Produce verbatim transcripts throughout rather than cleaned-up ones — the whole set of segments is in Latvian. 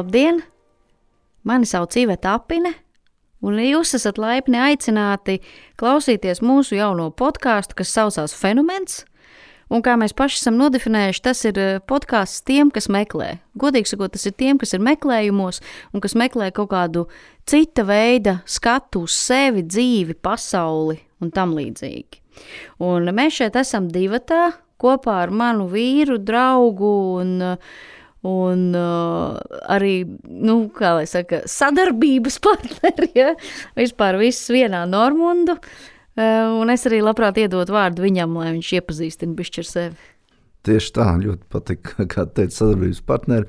Labdien! Mani sauc Iveta Apine, un jūs esat laipni aicināti klausīties mūsu jauno podkāstu, kas saucās Fenomens. Un kā mēs paši esam nodefinējuši, tas ir podkāsts tiem, kas meklē. Godīgi sakot, tas ir tiem, kas ir meklējumos un kas meklē kaut kādu cita veida skatu uz sevi, dzīvi, pasauli un tam līdzīgi. Un mēs šeit esam divatā kopā ar manu vīru, draugu un, un uh, arī, nu, kā lai saka, sadarbības partneri, ja? Vispār viss vienā Normundu. Uh, un es arī labprāt iedot vārdu viņam, lai viņš iepazīstina bišķi ar sevi. Tieši tā, ļoti patīk, kā teica, sadarbības partneri.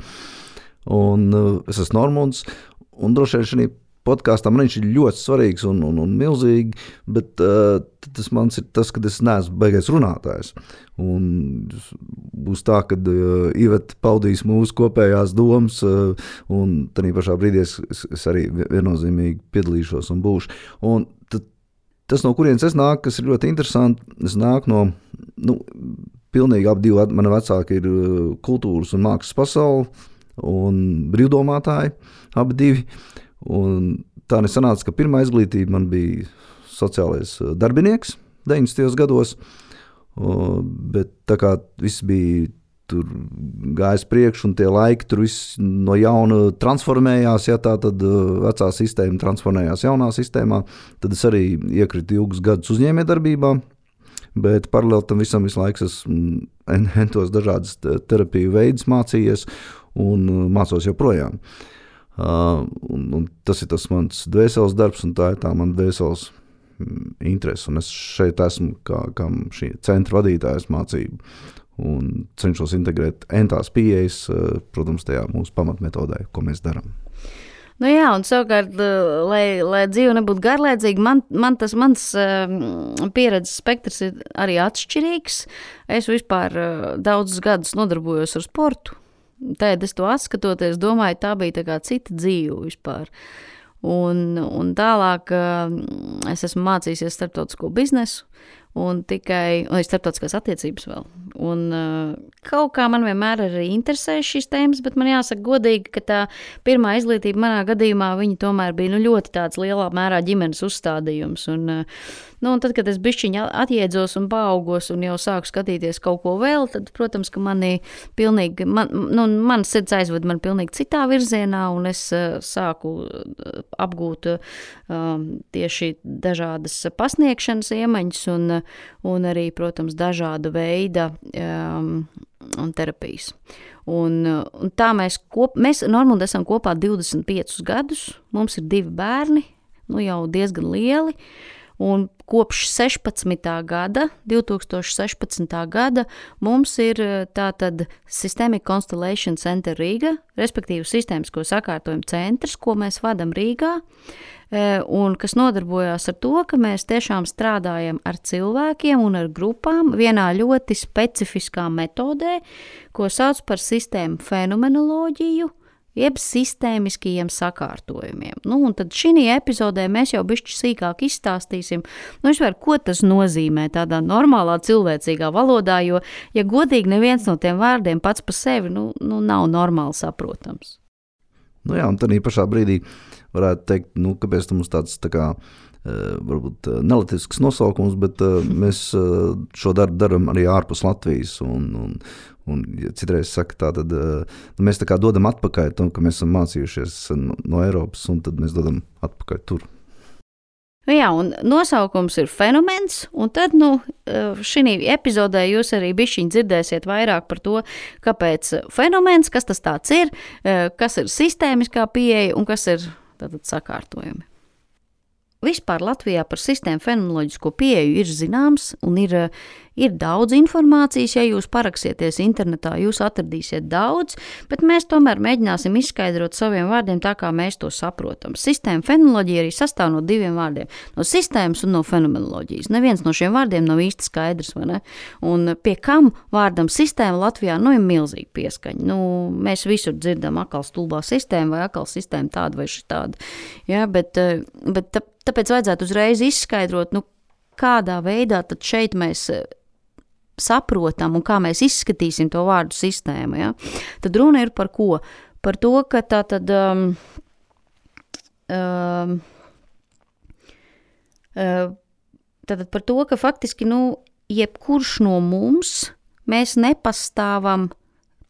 Un uh, es esmu Normunds, un droši vien šī podkāstā man viņš ir ļoti svarīgs un, un, un milzīgi, bet uh, tas mans ir tas, ka es neesmu baigais runātājs. Un būs tā, ka uh, Iveta paudīs mūsu kopējās domas, uh, un tādā pašā brīdī es, es arī viennozīmīgi piedalīšos un būšu. Un tad, tas, no kurienes es nāku, kas ir ļoti interesanti, es nāku no, nu, pilnīgi ap divi mani vecāki ir uh, kultūras un mākslas pasauli un brīvdomātāji, abi divi. Un tā nesanāca, ka pirmā izglītība man bija sociālais darbinieks deviņdesmitajos gados, bet tā kā viss bija tur gājis priekš un tie laiki tur viss no jauna transformējās, ja tā tad vecā sistēma transformējās jaunā sistēmā, tad es arī iekritu ilgus gadus uzņēmējdarbībā, bet paralēli tam visam visu laiku esmu entos dažādas terapiju veidus mācījies un mācos joprojām. Uh, un, un tas ir tas mans dvēseles darbs, un tā ir tā man dvēseles mm, interese. Un es šeit esmu kā, kā šī centra vadītājs mācību un cenšos integrēt entās pieejas, uh, protams, tajā mūsu pamatmetodē, ko mēs darām. Nu jā, un savukārt, lai, lai dzīve nebūtu garlaicīga, man, man tas mans uh, pieredzes spektrs ir arī atšķirīgs. Es vispār uh, daudzus gadus nodarbojos ar sportu. Tad es to atskatoties, domāju, tā bija tā kā cita dzīve vispār. Un, un tālāk es esmu mācījusies starptautisko biznesu un tikai, un starptautiskās attiecības vēl. Un kaut kā man vienmēr arī interesēja šīs tēmas, bet man jāsaka godīgi, ka tā pirmā izglītība manā gadījumā, viņa tomēr bija nu, ļoti tāds lielā mērā ģimenes uzstādījums. Un, nu, un tad, kad es bišķiņi atjēdzos un paaugos un jau sāku skatīties kaut ko vēl, tad, protams, ka mani pilnīgi, man, nu, man sirds aizved man pilnīgi citā virzienā, un es uh, sāku apgūt um, tieši dažādas pasniegšanas iemaņas un, un arī, protams, dažāda veida um, un terapijas. Un, un tā mēs, kop, mēs Normundā esam kopā divdesmit piecus gadus, mums ir divi bērni, nu jau diezgan lieli, un kopš sešpadsmitā gada, divi tūkstoši sešpadsmitā gada, mums ir tātad Systemic Constellation Center Rīga, respektīvi sistēmisko sakārtojumu centrs, ko mēs vadam Rīgā, un kas nodarbojās ar to, ka mēs tiešām strādājam ar cilvēkiem un ar grupām vienā ļoti specifiskā metodē, ko sauc par sistēmu fenomenoloģiju, jeb sistēmiskajiem sakārtojumiem. Nu, un tad šī epizodē mēs jau bišķi sīkāk izstāstīsim, nu, vispār, ko tas nozīmē tādā normālā cilvēcīgā valodā, jo, ja godīgi neviens no tiem vārdiem pats pa sevi, nu, nu nav normāli saprotams. Nu jā, un tad pašā brīdī varētu teikt, nu, kāpēc tam mums tāds tā kā, varbūt nelatisks nosaukums, bet mēs šo darbu daram arī ārpus Latvijas, un, un, un ja citreiz saka tā, tad nu, mēs tā kā dodam atpakaļ to, ka mēs esam mācījušies no Eiropas, un tad mēs dodam atpakaļ tur. Jā, un nosaukums ir Fenomens, un tad, nu, šī epizodē jūs arī bišķiņ dzirdēsiet vairāk par to, kāpēc fenomens, kas tas tāds ir, kas ir sistēmiskā pieeja un kas ir tātad sakārtojumi. Vispār Latvijā par sistēmu fenomenoloģisko pieeju ir zināms un ir, ir daudz informācijas, ja jūs paraksieties internetā, jūs atradīsiet daudz, bet mēs tomēr mēģināsim izskaidrot saviem vārdiem tā, kā mēs to saprotam. Sistēma fenomenoloģija arī sastāv no diviem vārdiem, no sistēmas un no fenomenoloģijas. Neviens no šiem vārdiem nav īsti skaidrs, vai ne? Un pie kam vārdam sistēma Latvijā, nu, ir milzīgi pieskaņa. Nu, mēs visur dzirdam akal stulbā sistēma vai akal sistēma tāda vai šitāda. Ja, bet, bet tā, tāpēc vajadzētu uzreiz izskaidrot, nu, kādā veidā tad šeit mēs saprotam un kā mēs izskatīsim to vārdu sistēmu. Ja? Tad runa ir par ko? par to, ka tā tad um, um, uh, tātad par to, ka faktiski, nu, jebkurš no mums, mēs nepastāvam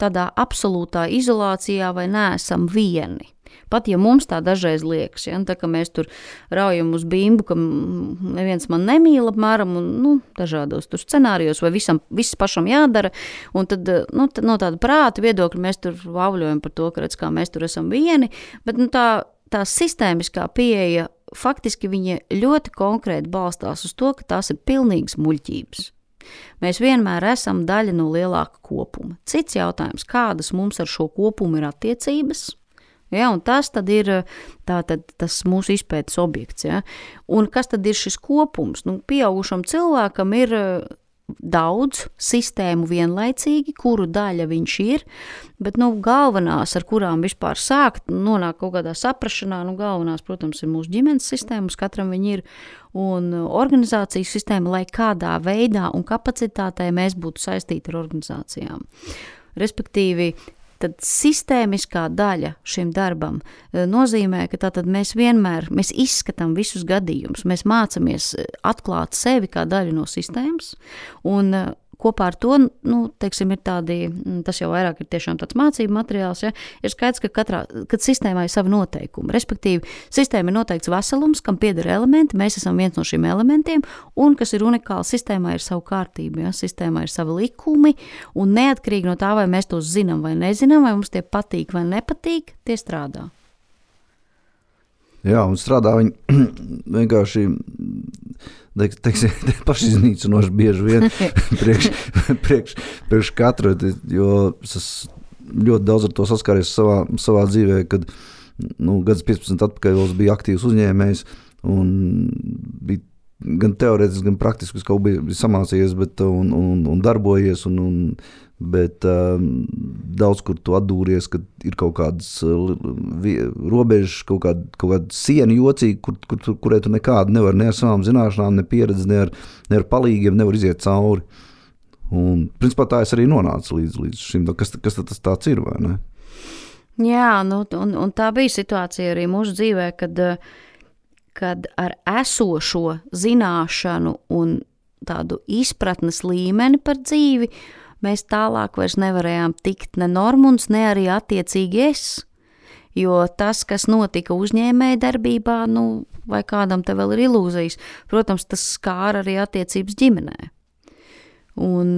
tādā absolūtā izolācijā vai neesam vieni. Pat ja mums tā dažreiz liekas, ja, tā, ka mēs tur raujam uz bimbu, ka neviens man nemīl apmēram, un, nu, dažādos tur scenārijos, vai visam, viss pašam jādara, un tad, nu, tad no tāda prāta viedokļa mēs tur vauļojam par to, ka redz, kā mēs tur esam vieni, bet, nu, tā, tā sistēmiskā pieeja, faktiski viņa ļoti konkrēti balstās uz to, ka tās ir pilnīgas muļķības. Mēs vienmēr esam daļa no lielāka kopuma. Cits jautājums, kādas mums ar šo kopumu ir attiecības, ja, un tas tad ir tātad tas mūsu izpētes objekts. Ja. Un kas tad ir šis kopums? Nu, pieaugušam cilvēkam ir daudz sistēmu vienlaicīgi, kuru daļa viņš ir, bet, nu, galvenās, ar kurām vispār sākt, nonāk kaut kādā saprašanā, nu, galvenās, protams, ir mūsu ģimenes sistēmas, katram viņi ir, un organizācijas sistēma, lai kādā veidā un kapacitātē mēs būtu saistīti ar organizācijām. Respektīvi, tad sistēmiskā daļa šim darbam nozīmē, ka tātad mēs vienmēr, mēs izskatām visus gadījumus, mēs mācamies atklāt sevi kā daļu no sistēmas, un kopā ar to, nu, teiksim, ir tādi, tas jau vairāk ir tiešām tāds mācību materiāls, ja, ir skaidrs, ka katrā, kad sistēmā ir savi noteikumi, respektīvi, sistēma ir noteikts veselums, kam pieder elementi, mēs esam viens no šiem elementiem, un kas ir unikāli, sistēmā ir savu kārtību, ja, sistēmā ir savi likumi, un neatkarīgi no tā, vai mēs tos zinām vai nezinām, vai mums tie patīk vai nepatīk, tie strādā. Jā, un strādā viņi vienkārši, teiksim, pašiznīcinoši bieži vien priekš, priekš, priekš katra, jo es ļoti daudz ar to saskāries savā, savā dzīvē, kad, nu, gads piecpadsmit atpakaļ vēl bija aktīvs uzņēmējs un bija gan teorētiski, gan praktiski, kaut bija, bija samācījies, bet, un, un, un darbojies, un, un, bet um, daudz kur tu atdūries, kad ir kaut kādas uh, robežas, kaut kāda, kaut kāda siena jocīga, kur, kur, kurai tu nekādu nevar ne ar savām zināšanām, ne pieredzi, ne ar, ne ar palīgiem, nevar iziet cauri. Un, principā, tā es arī nonācu līdz, līdz šim, kas, kas tas tāds ir, vai ne? Jā, nu, un, un tā bija situācija arī mūsu dzīvē, kad, kad ar esošo zināšanu un tādu izpratnes līmeni par dzīvi mēs tālāk vairs nevarējām tikt ne Normunds, ne arī attiecīgi es, jo tas, kas notika uzņēmēja darbībā, nu, vai kādam te vēl ir ilūzijas, protams, tas skāra arī attiecības ģimenē. Un,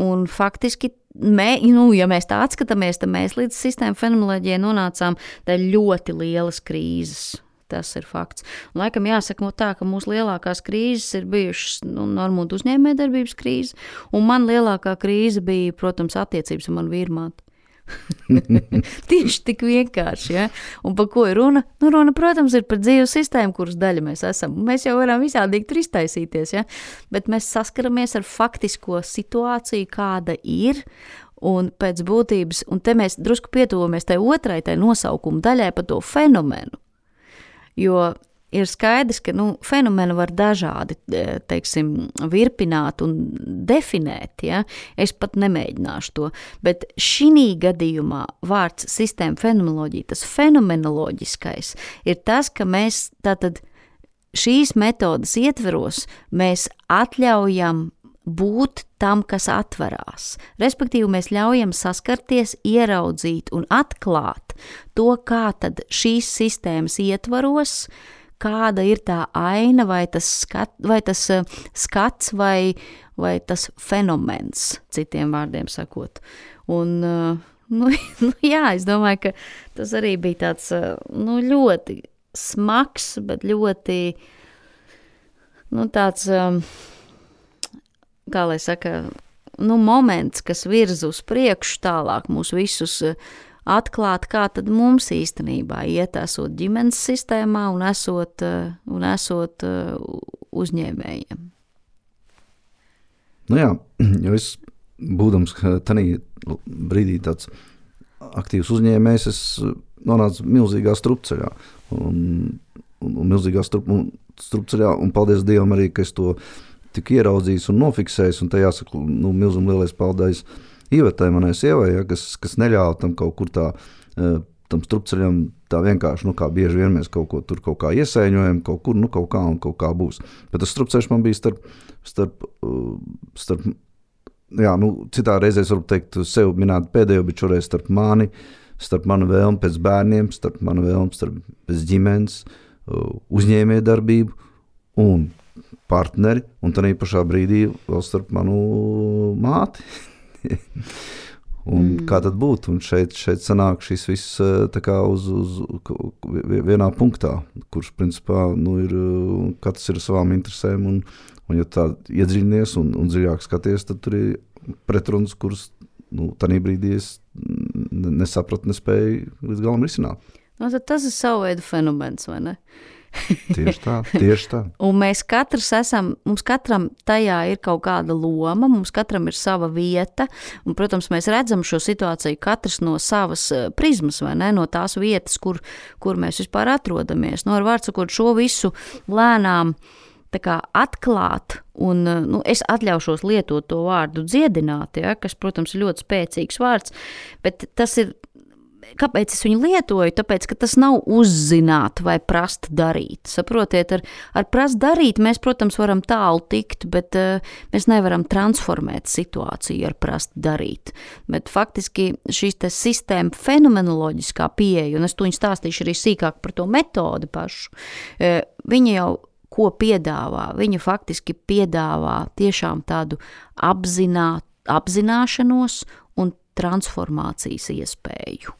un faktiski, mē, nu, ja mēs tā atskatāmies, tad mēs līdz sistēma fenomenoloģijai nonācām tā ļoti lielas krīzes. Tas ir fakts. Un, laikam jāsaka tā, ka mūsu lielākās krīzes ir bijušas, nu, Normundu uzņēmējdarbības krīze, un man lielākā krīze bija, protams, attiecības ar manu vīrmāti. Tieši tik vienkārši, ja? Un par ko ir runa? Nu, runa, protams, ir par dzīves sistēmu, kuras daļa mēs esam. Mēs jau varam visādīgi tur iztaisīties, ja? Bet mēs saskaramies ar faktisko situāciju, kāda ir, un pēc būtības, un te mēs drusku pietuvamies tai otrai, tai nosaukuma daļai par to fenomenu. Jo ir skaidrs, ka, nu, fenomenu var dažādi, teiksim, virpināt un definēt, ja? Es pat nemēģināšu to, bet šī gadījumā vārds sistēma fenomenoloģija, tas fenomenoloģiskais, ir tas, ka mēs tātad šīs metodas ietveros, mēs atļaujam būt tam, kas atverās. Respektīvi, mēs ļaujam saskarties, ieraudzīt un atklāt to, kā tad šīs sistēmas ietvaros, kāda ir tā aina vai tas, skat, vai tas skats vai, vai tas fenomens, citiem vārdiem sakot. Un, nu, nu jā, es domāju, ka tas arī bija tāds, nu, ļoti smags, bet ļoti, nu, tāds, kā lai saka, nu, moments, kas virza uz priekšu tālāk mūs visus atklāt, kā tad mums īstenībā iet, esot ģimenes sistēmā un esot, un esot uzņēmējiem. Nu jā, jo es, būdams tanī brīdī tāds aktīvs uzņēmējs, es nonācu milzīgā strupceļā. Un, un, un milzīgā strup, un, strupceļā, un paldies Dievam arī, ka es to tik ieraudzījis un nofiksējis, un te jāsaka, nu, milzum lielais paldies Ivetai, manai sievai, ja, kas, kas neļāva tam kaut kur tā tam strupceļam tā vienkārši, nu kā bieži vien mēs kaut ko tur kaut kā iesaiņojam, kaut kur, nu kaut kā un kaut kā būs. Bet tas strupceļš man bija starp, starp, starp jā, nu citā reizēs varu teikt sev minēt pēdējo, bet šoreiz starp mani, starp manu vēlmu pēc bērniem, starp manu vēlmu starp pēc ģimenes, uzņēmējdarbību un partneri, un tad pašā brīdī vēl starp manu māti. Un mm. kā tad būtu? Un šeit, šeit sanāk šis viss tā kā uz, uz vienā punktā, kurš principā nu, ir, katrs ir savām interesēm, un, un ja tā iedziļinies un, un dziļāk skaties, tad tur ir pretrunas, kuras nu, tanī brīdī es nesapratu, nespēju līdz galam risināt. No, tad tas ir savu veidu fenomens, vai ne? Tieši tā, tieši tā. Un mēs katrs esam, mums katram tajā ir kaut kāda loma, mums katram ir sava vieta, un, protams, mēs redzam šo situāciju katrs no savas prizmas, vai ne, no tās vietas, kur, kur mēs vispār atrodamies. No, ar vārdu sakot, šo visu lēnām tā kā atklāt, un nu, es atļaušos lietot to vārdu dziedināt, ja, kas, protams, ir ļoti spēcīgs vārds, bet tas ir, kāpēc es viņu lietoju? Tāpēc, ka tas nav uzzināt vai prast darīt. Saprotiet, ar, ar prast darīt mēs, protams, varam tālu tikt, bet uh, mēs nevaram transformēt situāciju ar prast darīt. Bet faktiski šīs te sistēma fenomenoloģiskā pieeja, un es to viņu stāstīšu arī sīkāk par to metodi pašu, uh, viņa jau ko piedāvā? Viņa faktiski piedāvā tiešām tādu apzināt, apzināšanos un transformācijas iespēju.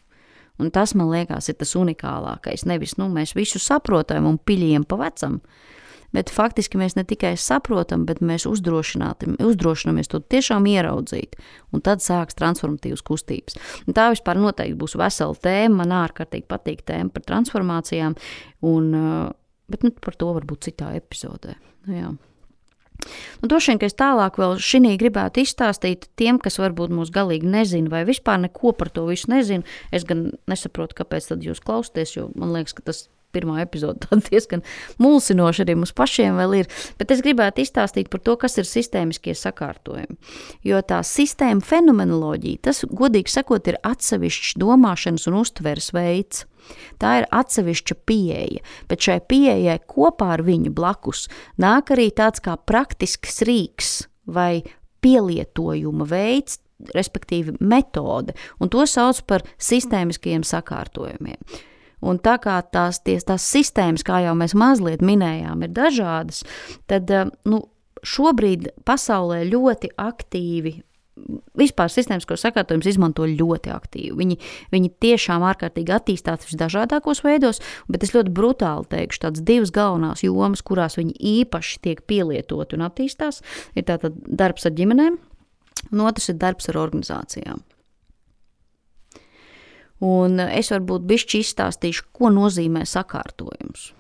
Un tas, man liekas, ir tas unikālākais. Nevis, nu, mēs visu saprotam un piļiem pa vecam, bet faktiski mēs ne tikai saprotam, bet mēs uzdrošinamies to tiešām ieraudzīt, un tad sāks transformatīvas kustības. Un tā vispār noteikti būs vesela tēma, man ārkārtīgi patīk tēma par transformācijām, un, bet nu, par to varbūt citā epizodē. Jā. Un droši vien, ka es tālāk vēl šinī gribētu izstāstīt tiem, kas varbūt mūs galīgi nezina vai vispār neko par to visu nezina. Es gan nesaprotu, kāpēc tad jūs klausties, jo man liekas, ka tas pirmā epizode tad diezgan mulsinoši arī mums pašiem vēl ir. Bet es gribētu izstāstīt par to, kas ir sistēmiskie sakārtojumi. Jo tā sistēma fenomenoloģija, tas, godīgi sakot, ir atsevišķs domāšanas un uztveres veids. Tā ir atsevišķa pieeja, bet šai pieejai kopā ar viņu blakus nāk arī tāds kā praktisks rīks vai pielietojuma veids, respektīvi metode, un to sauc par sistēmiskajiem sakārtojumiem. Un tā kā tās, ties, tās sistēmas, kā jau mēs mazliet minējām, ir dažādas, tad nu, šobrīd pasaulē ļoti aktīvi vispār sistēmisko sakārtojumus izmanto ļoti aktīvi. Viņi, viņi tiešām ārkārtīgi attīstās visdažādākos veidos, bet es ļoti brutāli teikšu, tāds divas galvenās jomas, kurās viņi īpaši tiek pielietoti un attīstās, ir tātad darbs ar ģimenēm, un otrs ir darbs ar organizācijām. Un es varbūt bišķi izstāstīšu, ko nozīmē sakārtojums.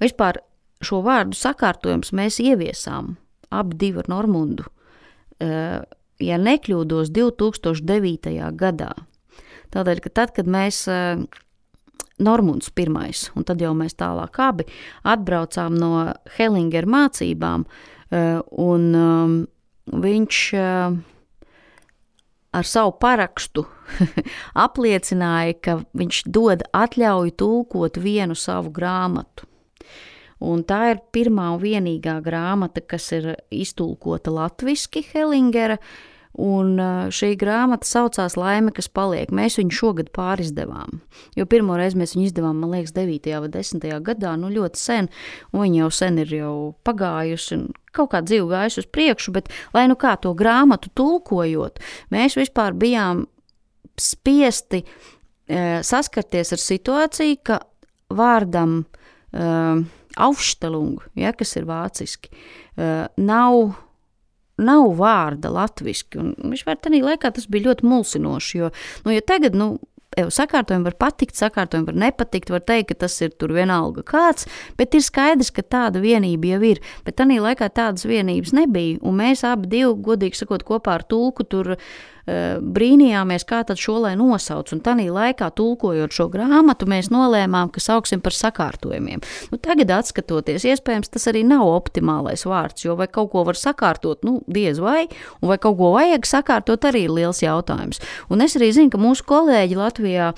Vispār šo vārdu sakārtojums mēs ieviesām abi divi ar Normundu, ja nekļūdos divi tūkstoši devītajā gadā. Tādēļ, ka tad, kad mēs Normunds pirmais, un tad jau mēs tālāk abi atbraucām no Hellinger mācībām, un viņš ar savu parakstu apliecināja, ka viņš dod atļauju tulkot vienu savu grāmatu. Un tā ir pirmā un vienīgā grāmata, kas ir iztulkota latviski Hellingera, un šī grāmata saucās Laime, kas paliek. Mēs viņu šogad pārizdevām, jo pirmo reizi mēs viņu izdevām, man liekas, devītajā vai desmitajā gadā, nu ļoti sen, un viņa jau sen ir jau pagājusi, un kaut kā dzīve gājusi uz priekšu, bet lai nu kā to grāmatu tulkojot, mēs vispār bijām spiesti e, saskarties ar situāciju, ka vārdam e, Aufstellung, ja, kas ir vāciski, uh, nav, nav vārda latviski, un vispār tādā laikā tas bija ļoti mulsinoši, jo, nu, ja tagad, nu, sakārtojumi var patikt, sakārtojumi var nepatikt, var teikt, ka tas ir tur vienalga kāds, bet ir skaidrs, ka tāda vienība jau ir, bet tādā laikā tādas vienības nebija, un mēs abi divi, godīgi sakot, kopā ar tulku tur brīnījāmies, kā tad šo lai nosauc, un tanī laikā tulkojot šo grāmatu, mēs nolēmām, ka sauksim par sakārtojumiem. Nu, tagad atskatoties, iespējams, tas arī nav optimālais vārds, jo vai kaut ko var sakārtot, nu, diez vai, un vai kaut ko vajag sakārtot, arī ir liels jautājums. Un es arī zinu, ka mūsu kolēģi Latvijā,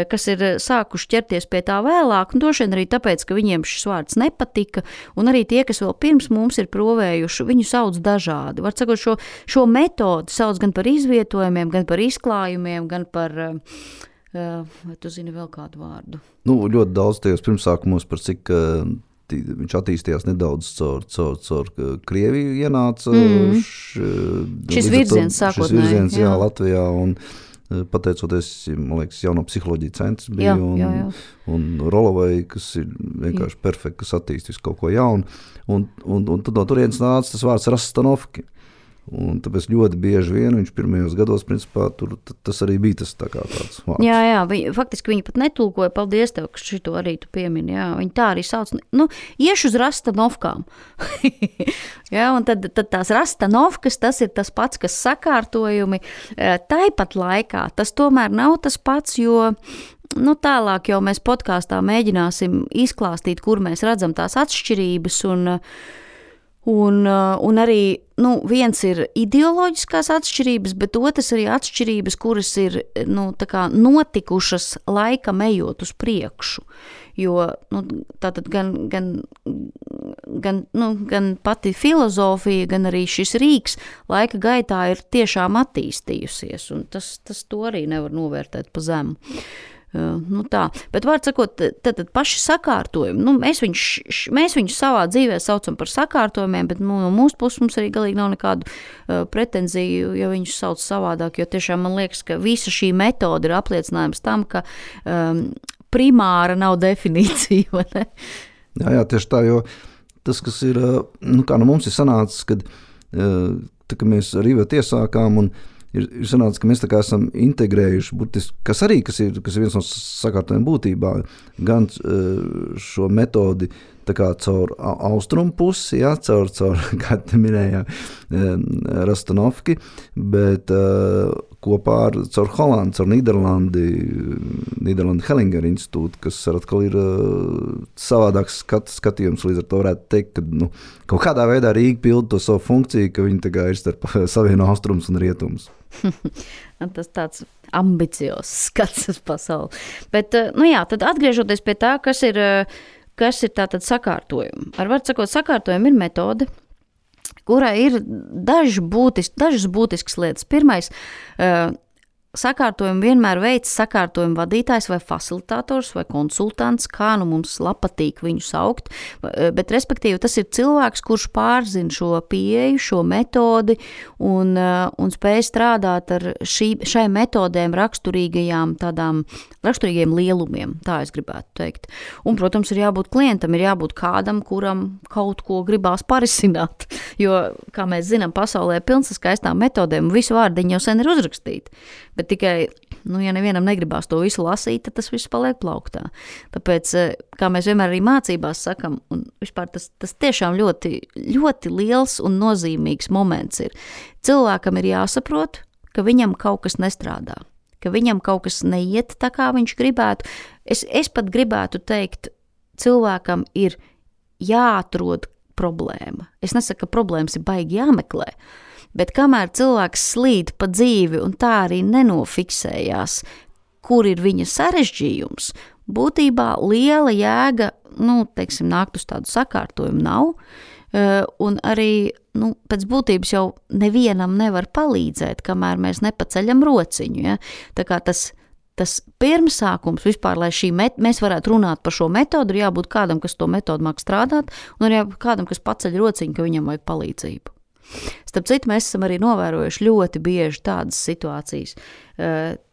kas ir sākuši ķerties pie tā vēlāk, un droši vien arī tāpēc, ka viņiem šis vārds nepatika, un arī tie, kas vēl pirms mums ir provējuši, viņu sauc dažādi. Var sakot, šo, šo metodu sauc gan par izvietojumiem, gan par izklājumiem, gan par, vai tu zini vēl kādu vārdu? Nu, ļoti daudz tajos pirmsākumos, par cik viņš attīstījās nedaudz caur, caur, caur Krieviju ienāca. Mm. Š, šis virziens sākotnēji. Šis virziens, jā, jā Latvijā, un pateicoties, man liekas, jauno psiholoģiju centrs bija, jā, un, jā, jā. un Rolovai, kas ir vienkārši jā. perfekti, kas attīstīs kaut ko jaunu, un, un, un tad no turienes nāca tas vārds Rastanovki. Un tāpēc ļoti bieži vien viņš pirmajos gados, principā, tur tas arī bija tas tā kā tāds vārds. Jā, jā, viņi, faktiski viņi pat netulkoja, paldies tev, ka šito arī tu piemini, jā, viņi tā arī sauc, nu, iešu uz Rastanovkām. Jā, un tad, tad tās Rastanovkas, tas ir tas pats, kas sakārtojumi, tāpat laikā, tas tomēr nav tas pats, jo nu, tālāk jau mēs podkāstā mēģināsim izklāstīt, kur mēs redzam tās atšķirības un Un, un arī nu, viens ir ideoloģiskās atšķirības, bet otrs arī atšķirības, kuras ir nu, tā kā notikušas laikam ejot uz priekšu. Jo nu, tātad gan, gan, gan, nu, gan pati filozofija, gan arī šis rīks laika gaitā ir tiešām attīstījusies, un tas, tas to arī nevar novērtēt pa zemu. Uh, nu tā, bet vārds sakot, tad, tad paši sakārtojumi, nu, mēs viņus, mēs viņus savā dzīvē saucam par sakārtojumiem, bet nu, no mūsu puses mums arī galīgi nav nekādu uh, pretenziju, ja viņus sauc savādāk, jo tiešām man liekas, ka visa šī metode ir apliecinājums tam, ka um, primāra nav definīcija, vai ne? Jā, jā, tieši tā, jo tas, kas ir, nu kā no mums ir sanācis, kad uh, tā, ka mēs ar Ivētu iesākām un Ir, ir sanācis, ka mēs tā kā esam integrējuši, būtiski, kas arī kas ir, kas ir viens no sakārtojumiem būtībā, gan šo metodi tā kā caur austrumu pusi, jā, caur, caur kā te minējā, Rastanovki, bet uh, kopā ar caur Holandu, caur Nīderlandi, Nīderlandi Hellinger institūtu, kas atkal ir uh, savādāks skat, skatījums, līdz ar to varētu teikt, ka nu, kaut kādā veidā Rīga pilda to savu funkciju, ka viņi tā kā ir starp savieno austrums un rietums. Tas tāds ambiciozs skats uz pasauli. Bet, nu jā, tad atgriežoties pie tā, kas ir, kas ir tātad sakārtojumi. Ar var sakot, sakārtojumi ir metode, kurai ir daži būtiski, dažas būtiskas lietas. Pirmais, sakārtojumu vienmēr veids sakārtojumu vadītājs vai facilitators vai konsultants, kā nu mums patīk viņu saukt, bet respektīvi tas ir cilvēks, kurš pārzina šo pieeju, šo metodi un, un spēj strādāt ar šī, šai metodēm raksturīgajām tādām, raksturīgajiem lielumiem, tā es gribētu teikt. Un, protams, ir jābūt klientam, ir jābūt kādam, kuram kaut ko gribās parisināt, jo, kā mēs zinām, pasaulē ir pilns ar skaistām metodēm, un visu vārdiņu jau sen ir uzrakstīti. Bet tikai, nu, ja nevienam negribās to visu lasīt, tad tas viss paliek plauktā. Tāpēc, kā mēs vienmēr arī mācībās sakam, un vispār tas, tas tiešām ļoti, ļoti liels un nozīmīgs moments ir. Cilvēkam ir jāsaprot, ka viņam kaut kas nestrādā, ka viņam kaut kas neiet tā, kā viņš gribētu. Es, es pat gribētu teikt, cilvēkam ir jāatrod problēma. Es nesaku, ka problēmas ir baigi jāmeklē, bet kamēr cilvēks slīd pa dzīvi un tā arī nenofiksējās, kur ir viņa sarežģījums, būtībā liela jēga, nu, teiksim, nākt uz tādu sakārtojumu nav, un arī, nu, pēc būtības jau nevienam nevar palīdzēt, kamēr mēs nepaceļam rociņu, ja? Tā kā tas, tas pirmsākums vispār, lai šī met, mēs varētu runāt par šo metodu, ir jābūt kādam, kas to metodu māk strādāt, un ir jābūt kādam, kas paceļ rociņu, ka viņam vajag palīdzību. Starp citu, mēs esam arī novērojuši ļoti bieži tādas situācijas.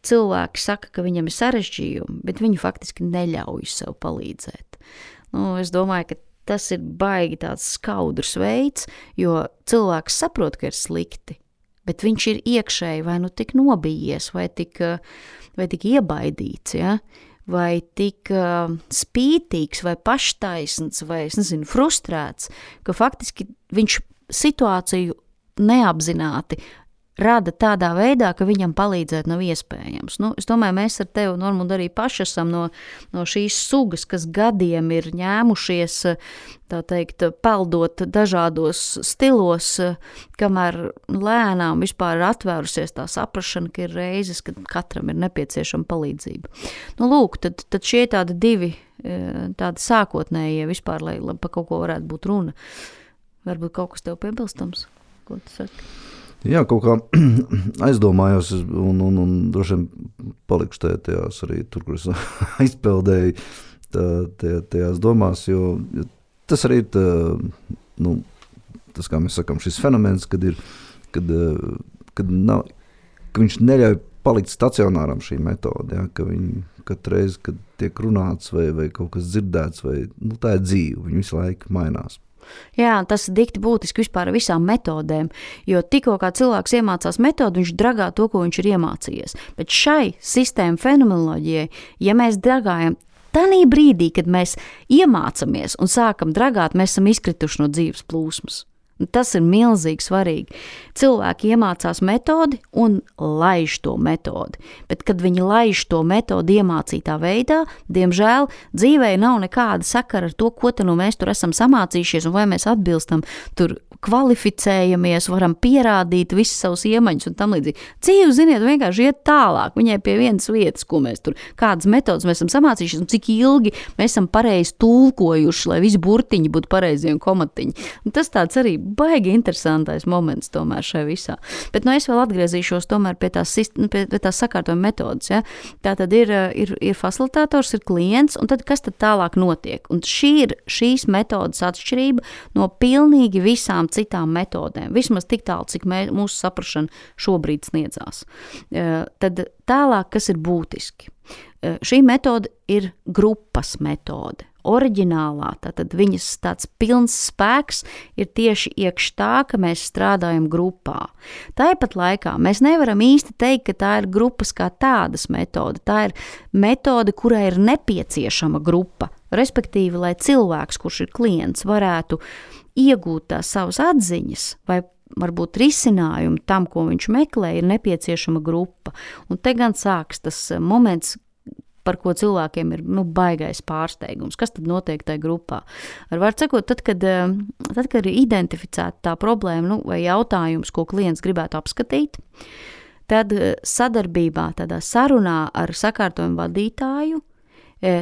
Cilvēki saka, ka viņam ir sarežģījumi, bet viņi faktiski neļauj sev palīdzēt. Nu, es domāju, ka tas ir baigi tāds skaudrs veids, jo cilvēks saprot, ka ir slikti, bet viņš ir iekšēji vai nu tik nobijies, vai tik, vai tik iebaidīts, ja? Vai tik uh, spītīgs, vai paštaisns, vai, es nezinu, frustrēts, ka faktiski viņš situāciju neapzināti rada tādā veidā, ka viņam palīdzēt nav iespējams. Nu, es domāju, mēs ar tevi, Normund, arī paši esam no, no šīs sugas, kas gadiem ir ņēmušies, tā teikt, peldot dažādos stilos, kamēr lēnām vispār ir atvērusies tā saprašana, ka ir reizes, kad katram ir nepieciešama palīdzība. Nu, lūk, tad, tad šie tādi divi tādi sākotnējie vispār, lai, lai pa kaut ko varētu būt runa. Varbūt kaut kas tev piebilstams? Ko tu saki? Jā, kaut kā aizdomājos un, un, un droši vien palikšu tajā, tajās arī tur, kur es aizpeldēju tā, tajā, tajās domās, jo, jo tas arī ir tā, nu, tas, kā mēs sakām, šis fenomens, kad ir, kad, kad, nav, ka viņš neļauj palikt stacionāram šī metode, ja, ka viņi katru reizi, kad tiek runāts vai, vai kaut kas dzirdēts, vai, nu, tā ir dzīve, viņi visu laiku mainās. Jā, tas ir dikti būtiski vispār visām metodēm, jo tikko kā cilvēks iemācās metodu, viņš dragā to, ko viņš ir iemācījies. Bet šai sistēma fenomenoloģijai, ja mēs dragājam tanī brīdī, kad mēs iemācamies un sākam dragāt, mēs esam izkrituši no dzīves plūsmas. Tas ir milzīgi svarīgi. Cilvēki iemācās metodi un laiž to metodi, bet kad viņi laiž to metodi iemācītā veidā, diemžēl dzīvē nav nekāda sakara ar to, ko te nu mēs tur esam samācījušies un vai mēs atbilstam, tur kvalificējamies, varam pierādīt visas savus iemaņus un tam līdzīgi. Dzīve, ziniet, vienkārši iet tālāk, viņai pie vienas vietas, ko mēs tur, kādas metodas mēs esam samācījušies un cik ilgi mēs esam pareizi tulkojuši, lai visi burtiņi būtu pareizie un komatiņi. Un tas tāds arī baigi interesantais moments tomēr šai visā. Bet nu es vēl atgriezīšos tomēr pie tās, pie, pie tās sakārtojuma metodas. Ja? Tā tad ir, ir, ir facilitātors, ir klients, un tad kas tad tālāk notiek? Un šī ir šīs metodas atšķirība no pilnīgi visām citām metodēm. Vismaz tik tālu, cik mē, mūsu saprašana šobrīd sniedzās. Tad tālāk, kas ir būtiski? Šī metode ir grupas metode. Oriģinālā, tātad viņas tāds pilns spēks ir tieši iekš tā, ka mēs strādājam grupā. Tāpat laikā mēs nevaram īsti teikt, ka tā ir grupas kā tādas metode. Tā ir metode, kurai ir nepieciešama grupa, respektīvi, lai cilvēks, kurš ir klients, varētu iegūt tās savas atziņas vai varbūt risinājumu tam, ko viņš meklē, ir nepieciešama grupa. Un te gan sāks tas moments, par ko cilvēkiem ir nu, baigais pārsteigums. Kas tad notiek tajā grupā? Ar var sakot, tad, kad, tad, kad ir identificēta tā problēma nu, vai jautājums, ko klients gribētu apskatīt, tad sadarbībā, tādā sarunā ar sakārtojumu vadītāju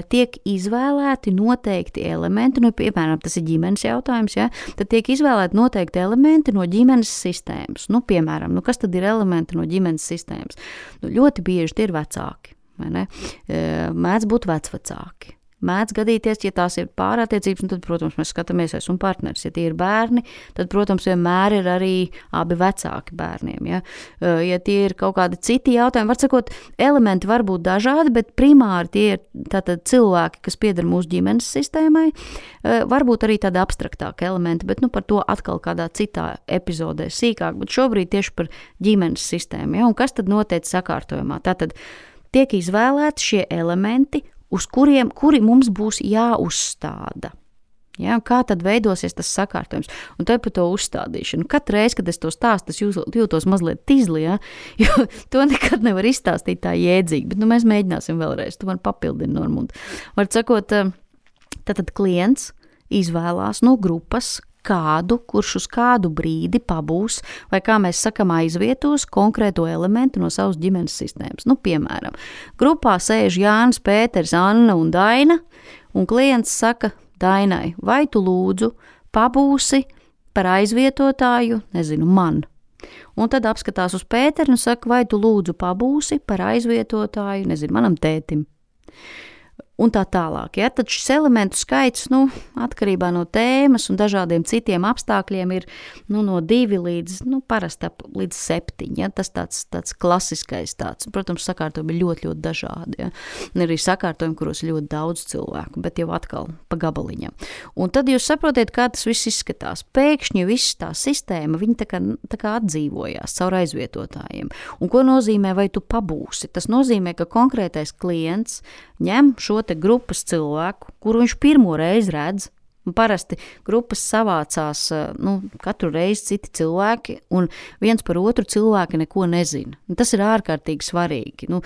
tiek izvēlēti noteikti elementi, nu, piemēram, tas ir ģimenes jautājums, ja, tad tiek izvēlēti noteikti elementi no ģimenes sistēmas. Nu, piemēram, nu, kas tad ir elementi no ģimenes sistēmas? Nu, ļoti bieži tie ir vecāki. Mēdz būt vecvecāki. Mēdz gadīties, ja tās ir pārattiecības, tad, protams, mēs skatāmies es un partneris. Ja tie ir bērni, tad, protams, vienmēr ir arī abi vecāki bērniem. Ja, ja tie ir kaut kādi citi jautājumi, var sakot, elementi var būt dažādi, bet primāri tie ir tātad cilvēki, kas pieder mūsu ģimenes sistēmai. Varbūt arī tādi abstraktāki elementi, bet nu, par to atkal kādā citā epizodē sīkāk, bet šobrīd tieši par ģimenes sistēmu. Ja, un kas tad notiek sakārtojumā? Tātad tiek izvēlēti šie elementi, uz kuriem, kuri mums būs jāuzstāda. Ja, kā tad veidosies tas sakārtojums? Un te par to uzstādīšanu. Katru reizi, kad es to stāstu, es jūtos mazliet tizli, ja, jo to nekad nevar izstāstīt tā jēdzīgi, bet nu, mēs mēģināsim vēlreiz. Tu man papildini, Normund. Var sakot, tātad klients izvēlās no grupas kādu, kurš uz kādu brīdi pabūs, vai kā mēs sakam, aizvietos konkrēto elementu no savas ģimenes sistēmas. Nu, piemēram, grupā sēž Jānis, Pēters, Anna un Daina, un klients saka Dainai, vai tu lūdzu pabūsi par aizvietotāju, nezinu, man. Un tad apskatās uz Pēteru un saka, vai tu lūdzu pabūsi par aizvietotāju, nezinu, manam tētim. Un tā tālāk. Ja? Tad šis elementu skaits, nu, atkarībā no tēmas un dažādiem citiem apstākļiem ir nu, no divi līdz, nu, parasti līdz septiņi. Ja? Tas tāds, tāds klasiskais tāds. Protams, sakārtojumi ir ļoti, ļoti dažādi. Ja? Un arī sakārtojumi, kuros ir ļoti daudz cilvēku, bet jau atkal pa gabaliņam. Un tad jūs saprotiet, kā tas viss izskatās. Pēkšņi viss tā sistēma, viņi tā kā, tā kā atdzīvojās caur aizvietotājiem. Un ko nozīmē, vai tu pabūsi? Tas nozīmē, ka konkrētais klients ņem šo te grupas cilvēku, kuru viņš pirmo reizi redz, Un parasti grupas savācās nu, katru reizi citi cilvēki, un viens par otru cilvēki neko nezina. Un tas ir ārkārtīgi svarīgi. Nu,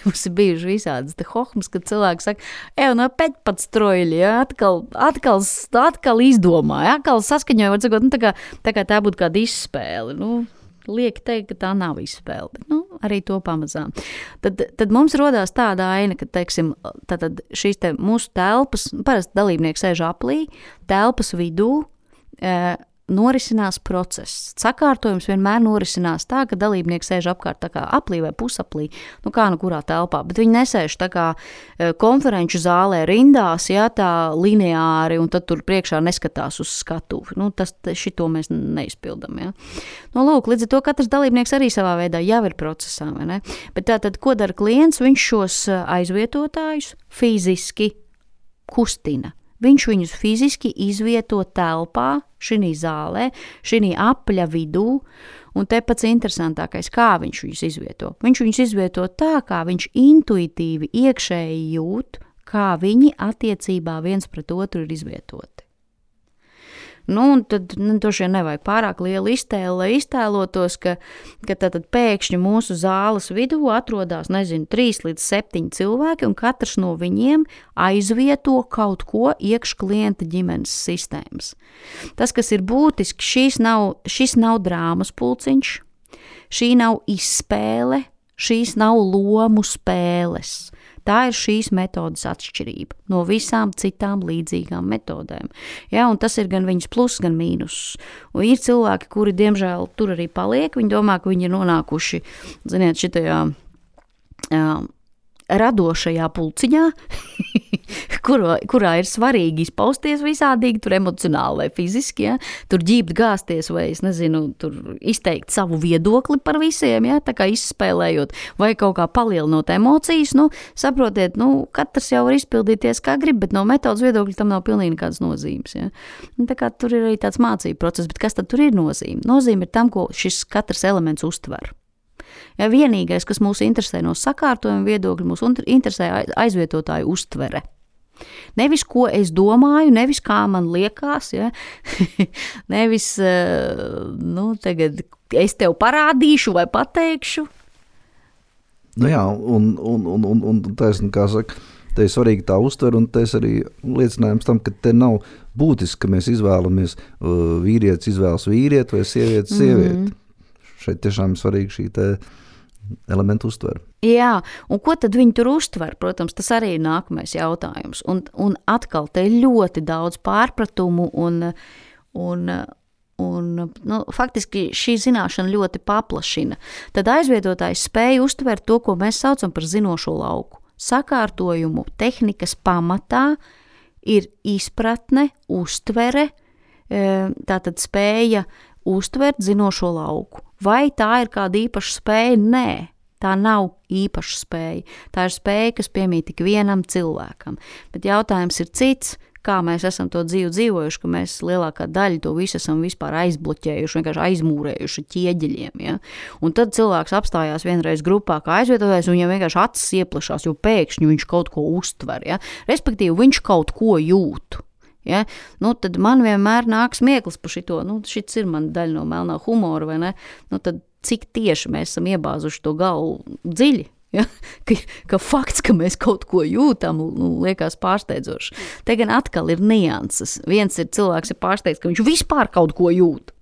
mums ir bijuši visādas te hohmas, kad cilvēki saka, ev, no pēc pat stroļi, ja, atkal, atkal, atkal izdomāja, atkal saskaņoja, var sakot, nu, tā kā tā, kā tā būtu kāda izspēle. Nu, liek teikt, ka tā nav izspēle, bet nu, arī to pamazām. Tad, tad mums rodās tāda aina, ka, teiksim, tātad šīs te mūsu telpas, parasti dalībnieki sēž aplī, telpas vidū e, norisinās process. Sakārtojums vienmēr norisinās tā, ka dalībnieki sēž apkārt tā kā aplī vai pusaplī, nu kā nu kurā telpā, bet viņi nesēž tā kā e, konferenču zālē rindās, jā, tā lineāri, un tad tur priekšā neskatās uz skatuvi. Nu, tas, šito mēs neizpildam, jā. Nu, lūk, līdz ar to katrs dalībnieks arī savā veidā jau ir procesā, vai ne? Bet tātad, ko dara klients? Viņš šos aizvietotājus fiziski kustina. Viņš viņus fiziski izvieto telpā, šinī zālē, šinī apļa vidū, un te pats interesantākais, kā viņš viņus izvieto. Viņš viņus izvieto tā, kā viņš intuitīvi iekšēji jūt, kā viņi attiecībā viens pret otru ir izvietoti. Nu, un tad nu, droši vien nevajag pārāk lielu iztēli, lai iztēlotos, ka, ka tātad pēkšņi mūsu zāles vidū atrodās, nezinu, trīs līdz septiņi cilvēki, un katrs no viņiem aizvieto kaut ko iekš klienta ģimenes sistēmas. Tas, kas ir būtiski, šis nav, šis nav drāmas pulciņš, šī nav izspēle, šīs nav lomu spēles. Tā ir šīs metodas atšķirība no visām citām līdzīgām metodēm. Ja, un tas ir gan viņas plus, gan mīnus. Un ir cilvēki, kuri, diemžēl, tur arī paliek. Viņi domā, ka viņi ir nonākuši, ziniet, šitajā jā, radošajā pulciņā, kurā, kurā ir svarīgi izpausties visādīgi, tur emocionāli vai fiziski, ja? Tur ģībt gāsties vai, es nezinu, tur izteikt savu viedokli par visiem, ja? Tā kā izspēlējot vai kaut kā palielinot emocijas, nu, saprotiet, nu, katrs jau var izpildīties kā grib, bet no metodas viedokļa tam nav pilnīgi nekādas nozīmes, ja? Un tā kā tur ir arī tāds mācību process, bet kas tad tur ir nozīme? Nozīme ir tam, ko šis katrs elements uztver. Ja vienīgais, kas mūs interesē no sakārtojuma viedokļa, mūs interesē aizvietotāju uztvere. Nevis, ko es domāju, nevis, kā man liekas, ja? Nevis, nu, tagad es tev parādīšu vai pateikšu. Nu jā, un, un, un, un, un taisni, kā saka, te ir svarīgi tā uztver, un te ir arī liecinājums tam, ka te nav būtiski, ka mēs izvēlamies uh, vīrietis izvēlas vīrieti vai sievieti sievieti. Mm-hmm. Šeit tiešām ir svarīgi šī te elementu uztver. Jā, un ko tad viņi tur uztver? Protams, tas arī ir nākamais jautājums. Un, un atkal te ir ļoti daudz pārpratumu un, un, un nu, faktiski šī zināšana ļoti paplašina. Tad aizvietotājs spēja uztvert to, ko mēs saucam par zinošo lauku. Sakārtojumu tehnikas pamatā ir izpratne, uztvere, tātad spēja uztvert zinošo lauku. Vai tā ir kāda īpaša spēja? Nē, tā nav īpaša spēja. Tā ir spēja, kas piemīt tik vienam cilvēkam. Bet jautājums ir cits, kā mēs esam to dzīvi dzīvojuši, ka mēs lielākā daļa to visu esam vispār aizbloķējuši, vienkārši aizmūrējuši ķieģeļiem. Ja? Un tad cilvēks apstājās vienreiz grupā kā aizvietotājs, un viņam vienkārši acis ieplašās, jo pēkšņi viņš kaut ko uztver. Ja? Respektīvi, viņš kaut ko jūt. Ja? Nu, tad man vienmēr nāk smieklis par šito, nu, šits ir man daļa no melnā humora, vai ne? Nu, tad cik tieši mēs esam iebāzuši to galvu dziļi, ja? ka, ka fakts, ka mēs kaut ko jūtam, nu, liekas pārsteidzoši. Te gan atkal ir nianses. Viens ir cilvēks ir pārsteigts, ka viņš vispār kaut ko jūt,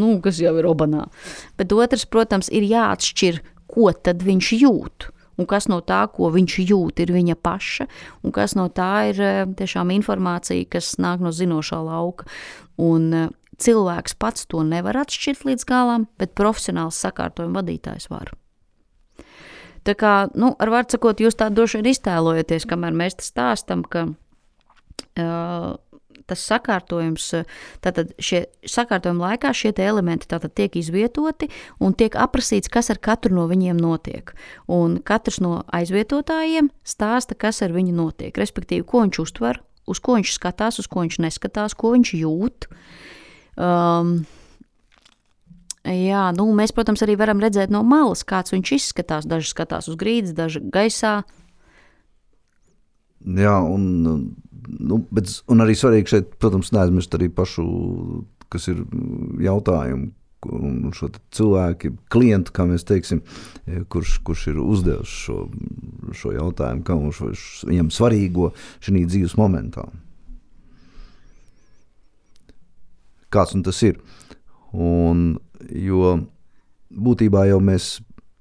nu, kas jau ir obanā. Bet otrs, protams, ir jāatšķir, ko tad viņš jūt. Un kas no tā, ko viņš jūt, ir viņa paša, un kas no tā ir tiešām informācija, kas nāk no zinošā lauka. Un cilvēks pats to nevar atšķirt līdz galam, bet profesionāls sakārtojuma vadītājs var. Tā kā, nu, ar vārdu sakot, jūs tā droši vien iztēlojaties, kamēr mēs tas stāstam, ka uh, tas sakārtojums, tātad šie sakārtojuma laikā šie te elementi tātad tiek izvietoti un tiek aprasīts, kas ar katru no viņiem notiek. Un katrs no aizvietotājiem stāsta, kas ar viņu notiek, respektīvi, ko viņš uztver, uz ko viņš skatās, uz ko viņš neskatās, ko viņš jūt. Um, jā, nu, mēs, protams, arī varam redzēt no malas, kāds viņš izskatās. Daži skatās uz grīdas, daži gaisā. Jā, un nu, bet, un arī svarīgi šeit, protams, neaizmirst arī pašu, kas ir jautājumi, un šo cilvēku, klientu, kā mēs teiksim, kurš, kurš ir uzdevis šo, šo jautājumu, kā viņš viņam svarīgo šī dzīves momentā. Kāds un tas ir. Un, jo būtībā jau mēs,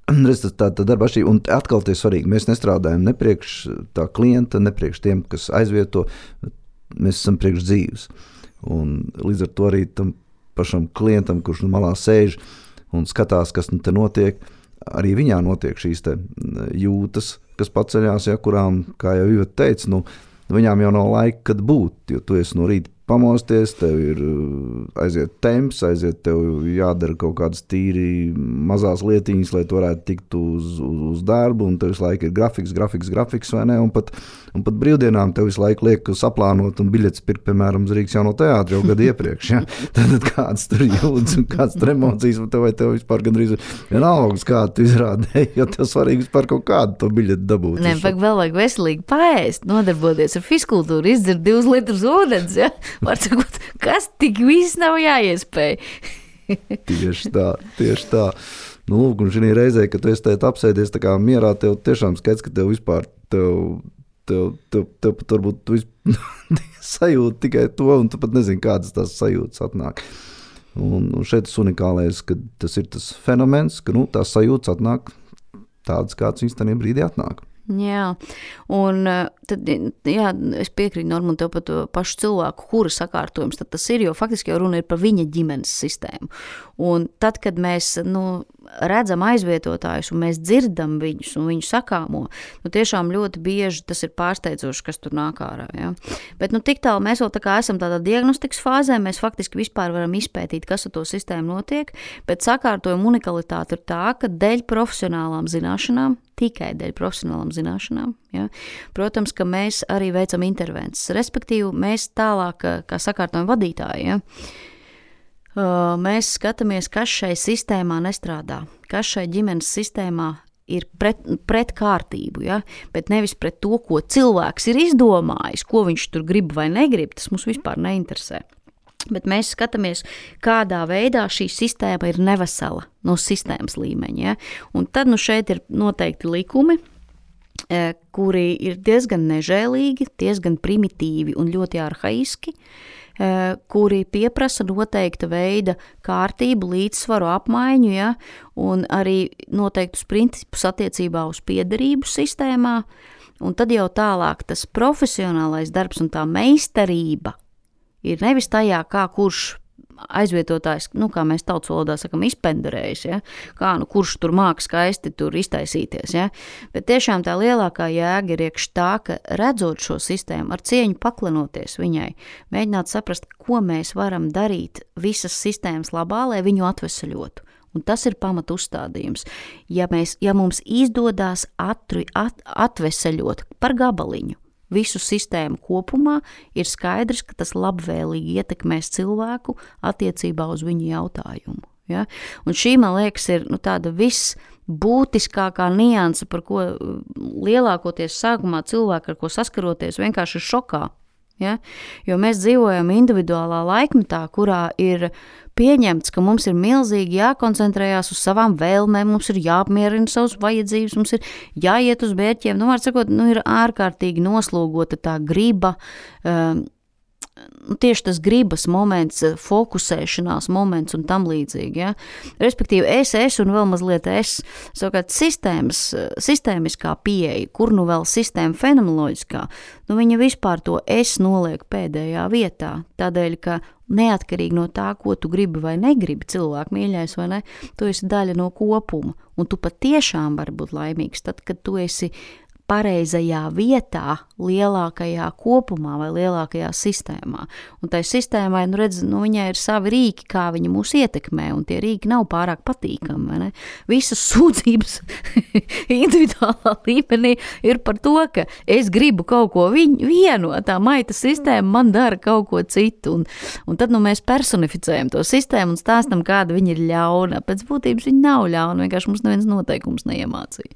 redz, tā, tā darba atšķirība, un atkal tie svarīgi, mēs nestrādājam ne priekš tā klienta, ne priekš tiem, kas aizvieto, mēs esam priekš dzīves. Un līdz ar to arī tam pašam klientam, kurš nu malā sēž un skatās, kas nu te notiek, arī viņā notiek šīs te jūtas, kas paceļās, ja, kurām, kā jau Iveta teica, nu, viņām jau nav laika, kad būt, jo tu esi no rīta pamosties, tev ir aiziet temps, aiziet tev jādara kaut kādas tīri mazās lietiņas, lai tu varētu tikt uz, uz, uz darbu, un tev visu laiku ir grafiks, grafiks, grafiks, vai ne, un pat, un pat brīvdienām tev visu laiku liek saplānot un biļetes pirkt, piemēram, uz Rīgas jauno teātri jau gadu iepriekš, ja? Tad kāds tur jūtas un kāds tur emocijas, un tev vai tev vispār gandrīz vienalgas, kādu tu izrādēji, jo tev svarīgi vispār kaut kādu to biļeti dabūt. Nē, pak vēl vajag veselīgi paēst, nodarboties ar fiskultūru, izdzert divus litrus ūdens, ja? Var sakot, kas tik viss nav jāiespēj. Tieši tā, tieši tā. Nu, lūk, un šī reizē, kad tu esi tēt apsēdies tā kā mierā, tev tiešām skaidrs, ka tev vispār, tev, tev, tev, tev pat varbūt tu vispār sajūti tikai to, un tu pat nezini, kādas tās sajūtas atnāk. Un, un šeit tas unikālais, ka tas ir tas fenomens, ka, nu, tās sajūtas atnāk tādas, kāds viņas tajā brīdī atnāk. Jā, un tad, jā, es piekrītu Normu un tev par to pašu cilvēku, kura sakārtojums tad tas ir, jo faktiski jau runa ir par viņa ģimenes sistēmu. Un tad, kad mēs, nu, redzam aizvietotājus un mēs dzirdam viņus un viņu sakāmo, nu, tiešām ļoti bieži tas ir pārsteidzoši, kas tur nāk ārā, ja. Bet, nu, tik tālu mēs vēl tā kā esam tādā diagnostikas fāzē, mēs faktiski vispār varam izpētīt, kas ar to sistēmu notiek, bet sakārtojuma unikalitāte ir tā, ka dēļ profesionālām zināšanām, tikai dēļ profesionālām zināšanām. Ja? Protams, ka mēs arī veicam intervences, respektīvi mēs tālāk, kā sakārtojuma vadītāji, ja? Mēs skatāmies, kas šai sistēmā nestrādā, kas šai ģimenes sistēmā ir pret, pret kārtību, ja? Bet nevis pret to, ko cilvēks ir izdomājis, ko viņš tur grib vai negrib, tas mums vispār neinteresē. Bet mēs skatāmies, kādā veidā šī sistēma ir nevesela no sistēmas līmeņa. Ja? Un tad nu šeit ir noteikti likumi, kuri ir diezgan nežēlīgi, diezgan primitīvi un ļoti arhaiski, kuri pieprasa noteikta veida kārtību, līdzsvaru, apmaiņu, ja? Un arī noteiktus principus attiecībā uz piederību sistēmā. Un tad jau tālāk tas profesionālais darbs un tā meistarība ir nevis tajā, kā kurš aizvietotājs, nu, kā mēs tautas valodā sakam, izpenderējis, ja? Kā, nu, kurš tur māk skaisti tur iztaisīties, ja? Bet tiešām tā lielākā jēga ir iekš tā, ka redzot šo sistēmu, ar cieņu paklinoties viņai, mēģināt saprast, ko mēs varam darīt visas sistēmas labā, lai viņu atvesaļotu. Un tas ir pamat uzstādījums. Ja, mēs, ja mums izdodās atru, at, atvesaļot par gabaliņu, visu sistēmu kopumā, ir skaidrs, ka tas labvēlīgi ietekmēs cilvēku attiecībā uz viņu jautājumu. Ja? Un šī, man liekas, ir nu, tāda visbūtiskākā nianse, par ko lielākoties sākumā cilvēki, ar ko saskaroties, vienkārši ir šokā. Ja? Jo mēs dzīvojam individuālā laikmetā, kurā ir pieņemts, ka mums ir milzīgi jākoncentrējās uz savām vēlmēm, mums ir jāapmierina savas vajadzības, mums ir jāiet uz mērķiem, nu, var sakot, nu, ir ārkārtīgi noslogota tā griba, um, tieši tas gribas moments, fokusēšanās moments un tam līdzīgi. Ja? Respektīvi, es, es un vēl mazliet es, savukārt sistēmas, sistēmiskā pieeja, kur nu vēl sistēma fenomenoloģiskā, nu viņa vispār to es noliek pēdējā vietā, tādēļ, ka neatkarīgi no tā, ko tu gribi vai negribi, cilvēku mīļais vai ne, tu esi daļa no kopuma, un tu patiešām vari būt laimīgs tad, kad tu esi pareizajā vietā, lielākajā kopumā vai lielākajā sistēmā. Un tai sistēmai, nu redz, nu viņai ir savi rīki, kā viņa mūs ietekmē, un tie rīki nav pārāk patīkami, vai ne? Visas sūdzības individuālā līmenī ir par to, ka es gribu kaut ko viņu, vienu, tā maita sistēma man dara kaut ko citu, un, un tad nu mēs personificējam to sistēmu un stāstam, kāda viņa ir ļauna. Pēc būtības viņa nav ļauna, vienkārši mums neviens noteikums neiemācīja.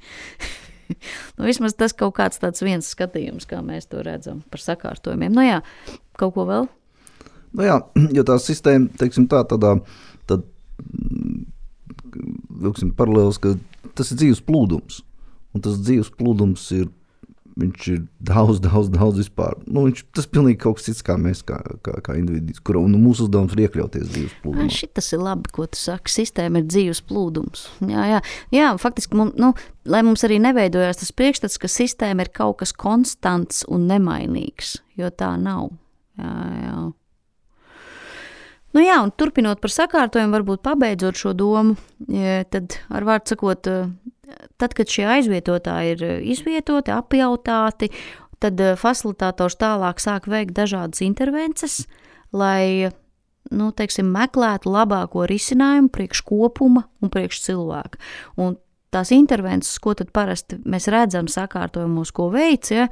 Nu, vismaz tas kaut kāds tāds viens skatījums, kā mēs to redzam par sakārtojumiem. Nu jā, kaut ko vēl? Nu jā, jo tā sistēma, teiksim tā, tādā, tad, vilksim paralēlis, ka tas ir dzīves plūdums. Un tas dzīves plūdums ir, viņš ir daudz, daudz, daudz vispār. Nu, viņš, tas ir pilnīgi kaut kas cits, kā mēs, kā, kā, kā individis, kur un mūsu uzdevums ir iekļauties dzīves plūdumā. Šitas ir labi, ko tu saki. Sistēma ir dzīves plūdums. Jā, jā. Jā, faktiski, mums, nu, lai mums arī neveidojās tas priekšstats, ka sistēma ir kaut kas konstants un nemainīgs, jo tā nav. Jā, jā. Nu jā, un turpinot par sakārtojumu, varbūt pabeidzot šo domu, tad ar vārdu sakot, tad, kad šie aizvietotāji ir izvietoti, apjautāti, tad facilitātors tālāk sāk veikt dažādas intervences, lai, nu, teiksim, meklētu labāko risinājumu priekš kopuma un priekš cilvēka. Un tās intervences, ko tad parasti mēs redzam sakārtojumos, ko veic, ja,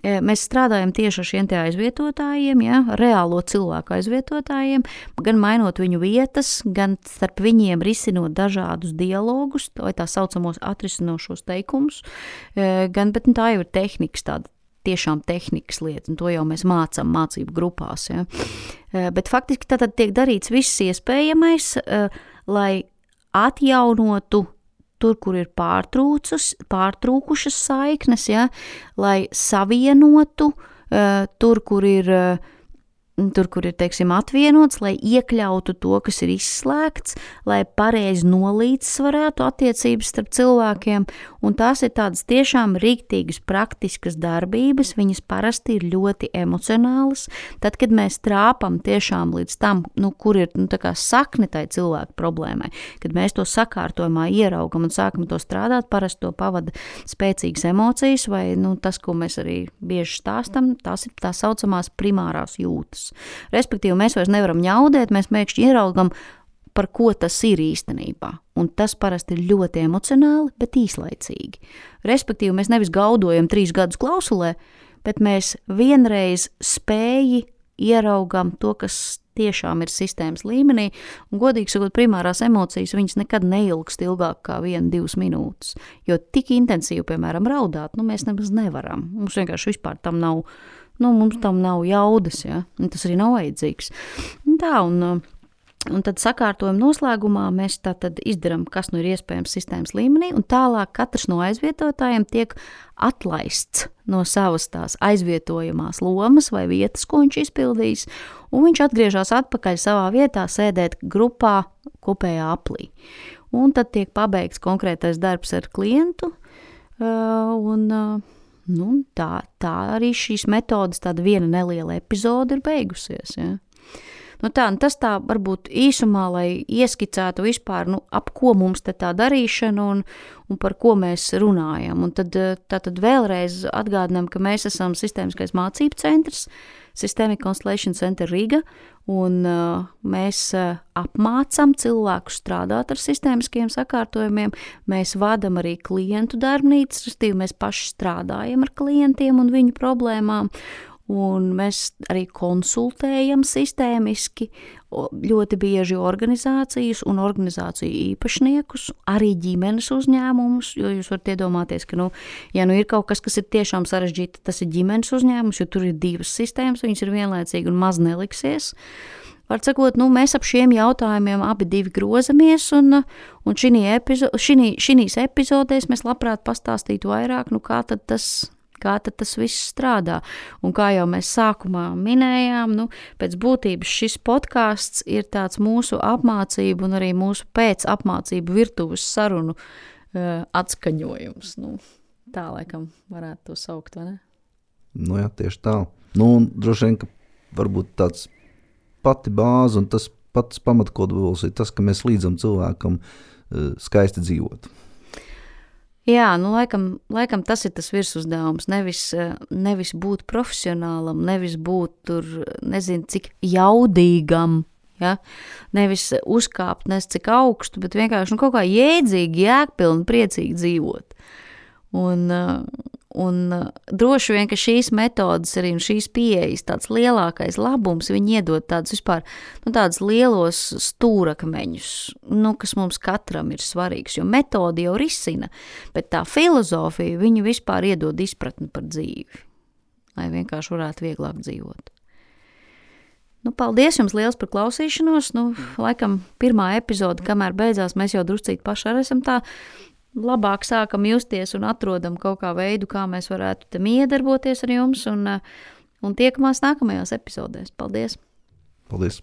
mēs strādājam tieši ar šiem tie aizvietotājiem, ja, reālo cilvēku aizvietotājiem, gan mainot viņu vietas, gan starp viņiem risinot dažādus dialogus, vai tā saucamos atrisinošos teikumus, gan, bet nu, tā jau ir tehnikas tāda, tiešām tehnikas lieta, un to jau mēs mācām mācību grupās. Ja. Bet faktiski tad tiek darīts viss iespējamais, lai atjaunotu tur, kur ir pārtrūkušas saiknes, ja, lai savienotu uh, tur, kur ir, uh, tur, kur ir, teiksim, atvienots, lai iekļautu to, kas ir izslēgts, lai pareizi nolīdzsvarētu attiecības starp cilvēkiem, un tās ir tādas tiešām rīktīgas, praktiskas darbības, viņas parasti ir ļoti emocionālas, tad, kad mēs trāpam tiešām līdz tam, nu, kur ir, nu, tā kā sakne tai cilvēku problēmai, kad mēs to sakārtojumā ieraugam un sākam to strādāt, parasti to pavada spēcīgas emocijas, vai, nu, tas, ko mēs arī bieži stāstam, tās ir tā saucamās primārās jūtas. Respektīvi, mēs vairs nevaram ņaudēt, mēs mēkšķi ieraugam, par ko tas ir īstenībā. Un tas parasti ir ļoti emocionāli, bet īslaicīgi. Respektīvi, mēs nevis gaudojam trīs gadus klausulē, bet mēs vienreiz spēji ieraugam to, kas tiešām ir sistēmas līmenī, un godīgi sakot, primārās emocijas, viņas nekad neilgst ilgāk kā viena, divas minūtes, jo tik intensīvi, piemēram, raudāt, nu, mēs nemaz nevaram. Mums vienkārši vispār tam nav, nu, mums tam nav jaudas, ja, un tas arī nav vajadzīgs. Un tā, un Un tad sakārtojuma noslēgumā mēs tātad izdaram, kas nu ir iespējams sistēmas līmenī, un tālāk katrs no aizvietotājiem tiek atlaists no savas tās aizvietojamās lomas vai vietas, ko viņš izpildīs, un viņš atgriežas atpakaļ savā vietā sēdēt grupā kopējā aplī. Un tad tiek pabeigts konkrētais darbs ar klientu, un nu, tā, tā arī šīs metodas, tāda viena neliela epizode ir beigusies, ja. Nu tā, tas tā varbūt īsumā, lai ieskicētu vispār, nu, ap ko mums te tā darīšana un, un par ko mēs runājam. Un tad, tā tad vēlreiz atgādinām, ka mēs esam sistēmiskais mācību centrs, Systemic Constellation Center Riga, un uh, mēs uh, apmācam cilvēkus strādāt ar sistēmiskiem sakārtojumiem, mēs vadam arī klientu darbnīcas, restīvi mēs paši strādājam ar klientiem un viņu problēmām, un mēs arī konsultējam sistēmiski ļoti bieži organizācijas un organizāciju īpašniekus, arī ģimenes uzņēmumus, jo jūs varat iedomāties, ka, nu, ja nu ir kaut kas, kas ir tiešām sarežģīti, tas ir ģimenes uzņēmums, jo tur ir divas sistēmas, viņas ir vienlaicīgi un maz neliksies. Var sakot, nu, mēs ap šiem jautājumiem abi divi grozamies, un, un šinī epizo, šinī, šinīs epizodēs mēs labprāt pastāstītu vairāk, nu, kā tad tas kā tad tas viss strādā. Un kā jau mēs sākumā minējām, nu, pēc būtības šis podcasts ir tāds mūsu apmācību un arī mūsu pēc apmācību virtuves sarunu uh, atskaņojums. Nu, tā laikam varētu to saukt, vai ne? Nu jā, tieši tā. Nu, un droši vien, ka varbūt tāds pati bāze un tas pats pamatkodols ir tas, ka mēs līdzam cilvēkam uh, skaisti dzīvot. Jā, nu laikam, laikam tas ir tas virsuzdevums, nevis, nevis būt profesionālam, nevis būt tur, nezinu, cik jaudīgam, ja? Nevis uzkāpt nes cik augstu, bet vienkārši nu, kaut kā jēdzīgi, jēgpilni, priecīgi dzīvot. Un, un droši vien, ka šīs metodas arī un šīs pieejas tāds lielākais labums, viņi iedod tādus vispār, nu tādus lielos stūrakmeņus, nu, kas mums katram ir svarīgs, jo metodi jau risina, bet tā filozofija, viņi vispār iedod izpratni par dzīvi, lai vienkārši varētu vieglāk dzīvot. Nu, paldies jums liels par klausīšanos. Nu, laikam pirmā epizode, kamēr beidzās, mēs jau druscīt paši arī esam tā labāk sākam justies un atrodam kaut kā veidu, kā mēs varētu te iedarboties ar jums un, un tiekamies nākamajās epizodēs. Paldies! Paldies!